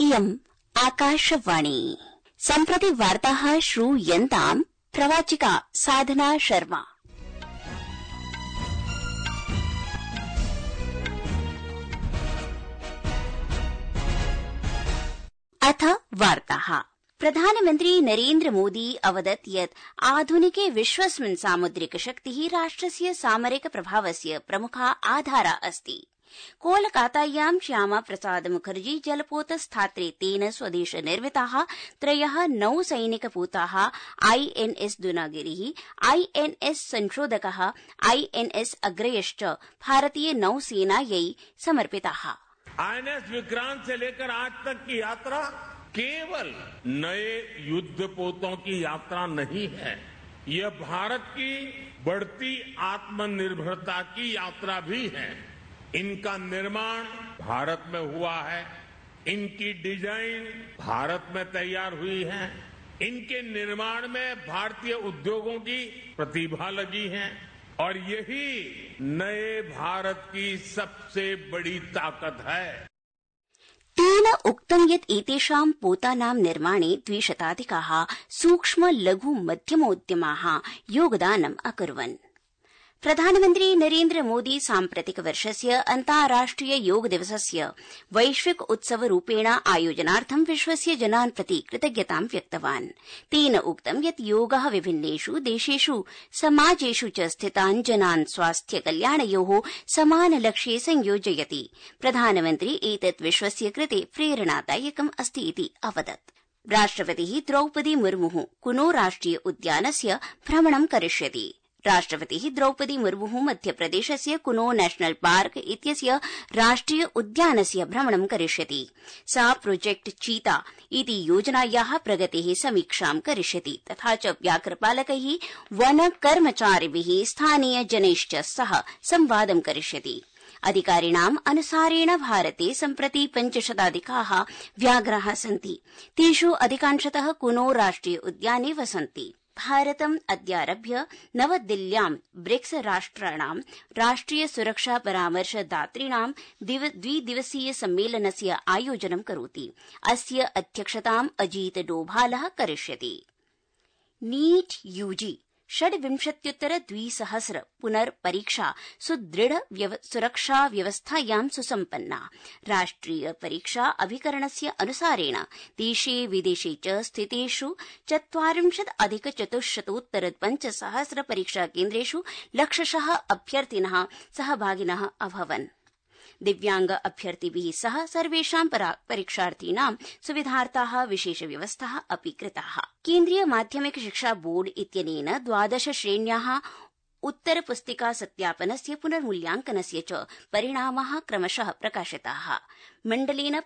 इयम् आकाशवाणी। सम्प्रति वार्ताः श्रूयन्ताम् प्रवाचिका साधना शर्मा। अथ वार्ताः। प्रधानमन्त्री नरेन्द्र मोदी अवदत् यत् आधुनिके विश्वस्मिन् सामुद्रिक शक्तिः राष्ट्रस्य सामरिक प्रभावस्य प्रमुखा आधारा अस्ति। कोलकातायां श्यामा प्रसाद मुखर्जी जलपोतस्थात्रे स्वदेश निर्मिताः 3 नौसैनिकपूताः आईएनएस दुनागिरिः, आईएनएस संशोधकः, आईएनएस अग्रयश्च भारतीय नौसेनायै समर्पिताः। आईएनएस विक्रांत से लेकर आज तक की यात्रा केवल नए युद्धपोतों की यात्रा नहीं है, यह भारत की बढ़ती आत्मनिर्भरता की यात्रा भी है। इनका निर्माण भारत में हुआ है, इनकी डिजाइन भारत में तैयार हुई है, इनके निर्माण में भारतीय उद्योगों की प्रतिभा लगी है और यही नए भारत की सबसे बड़ी ताकत है। तेन उक्तं यत् एतेषां पोतानां निर्माणे 200 सूक्ष्म लघु मध्यमोद्यमाः योगदानम् अकुर्वन्। प्रधानमन्त्री नरेन्द्र मोदी साम्प्रतिक वर्षस्य अन्ताराष्ट्रिय योग दिवसस्य वैश्विक उत्सवरूपेण आयोजनार्थं विश्वस्य जनान् प्रति कृतज्ञतां व्यक्तवान्। तेन उक्तं यत् योगः विभिन्नेषु देशेषु समाजेषु च स्थितान् जनान् स्वास्थ्य कल्याणयोः समानलक्ष्ये संयोजयति। प्रधानमन्त्री एतत् विश्वस्य कृते प्रेरणादायकम् अस्ति इति अवदत्। राष्ट्रपतिः द्रौपदी मुर्मुः कुनो राष्ट्रिय उद्यानस्य भ्रमणं करिष्यति। राष्ट्रपतिः द्रौपदी मुर्मुः मध्यप्रदेशस्य कुनो नेशनल पार्क इत्यस्य राष्ट्रिय उद्यानस्य भ्रमणं करिष्यति। सा प्रोजेक्ट चीता इति योजनायाः प्रगतेः समीक्षां करिष्यति तथा च व्याघ्रपालकैः, वन कर्मचारिभिः, स्थानीय जनैश्च सह संवादं करिष्यति। अधिकारिणाम् अनुसारेण भारते सम्प्रति 500 व्याघ्राः सन्ति। तेषु अधिकांशतः कुनो राष्ट्रिय उद्याने वसन्ति। भारतम् अद्यारभ्य नवदिल्ल्यां ब्रिक्स राष्ट्राणां राष्ट्रिय सुरक्षा परामर्शदातॄणां द्विदिवसीय सम्मेलनस्य आयोजनं करोति। अस्य अध्यक्षताम् अजीत डोभालः करिष्यति। नीट यूजी 26,200 पुनर्परीक्षा सुदृढ़ सुरक्षा व्यवस्थायां सुसम्पन्ना। राष्ट्रिय परीक्षा अभिकरणस्य अनुसारेण देशे विदेशे च स्थितेषु 40,400 परीक्षाकेन्द्रेषु लक्षशः अभ्यर्थिनः सहभागिनः अभवन्। दिव्यांग अभ्यर्थिभिः सह सर्वेषां परीक्षार्थीनां सुविधार्थाः विशेष व्यवस्थाः अपि कृताः। केन्द्रीय माध्यमिक शिक्षा बोर्ड इत्यनेन 12 श्रेण्याः उत्तरपुस्तिका सत्यापनस्य पुनर्मूल्यांकनस्य च परिणामाः क्रमशः प्रकाशिताः। मण्डलेन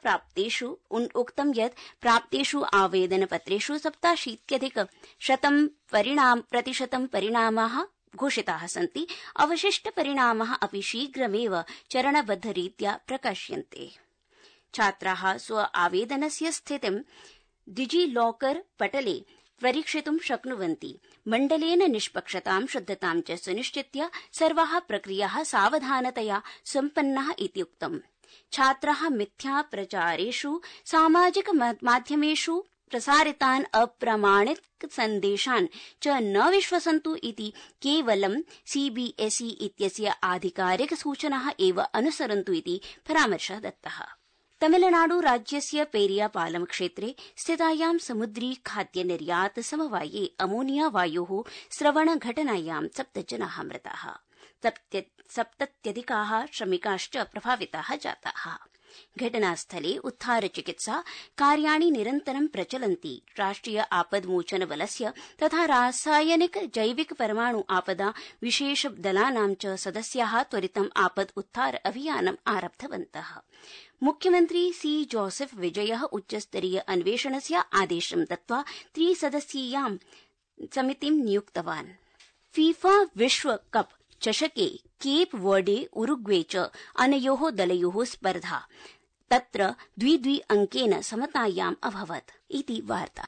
उक्तं यत् प्राप्तेषु आवेदनपत्रेषु 87% परिणामाः घोषिताः सन्ति। अवशिष्ट परिणामाः अपि शीघ्रमेव चरणबद्धरीत्या प्रकाश्यन्ते। छात्राः स्व आवेदनस्य स्थितिं डिजिलॉकर पटले परीक्षितुं शक्नुवन्ति। मण्डलेन निष्पक्षतां शुद्धतां च सुनिश्चित्य सर्वाः प्रक्रियाः सावधानतया सम्पन्नाः इति उक्तम्। छात्राः मिथ्या प्रचारेषु सामाजिक माध्यमेषु प्रसारितान् अप्रामाणिक सन्देशान् च न विश्वसन्तु इति केवलं सीबीएसई इत्यस्य आधिकारिक सूचनाः एव अनुसरन्तु इति परामर्शः दत्तः। तमिलनाडु राज्यस्य पेरियापालम क्षेत्रे स्थितायां समुद्री खाद्य निर्यात समवाये अमोनिया वायोः स्रवण घटनायां 7 जनाः मृताः। 70 श्रमिकाश्च प्रभाविताः जाताः। घटनास्थले उद्धार चिकित्सा कार्याणि निरन्तरं प्रचलन्ति। राष्ट्रिय आपद्मोचन बलस्य तथा रासायनिक जैविक परमाणु आपदा विशेष दलानां च सदस्याः त्वरितम् आपद् उद्धार अभियानम् आरब्धवन्तः। मुख्यमन्त्री सी जोसेफ विजयः उच्चस्तरीय अन्वेषणस्य आदेशं दत्त्वा 3 सदस्यीयां समितिं नियुक्तवान्। फीफा विश्वकप चषके केप वर्डे उरुग्वे च अनयोः दलयोः स्पर्धा तत्र 2-2 अङ्केन समतायाम् अभवत् इति वार्ता।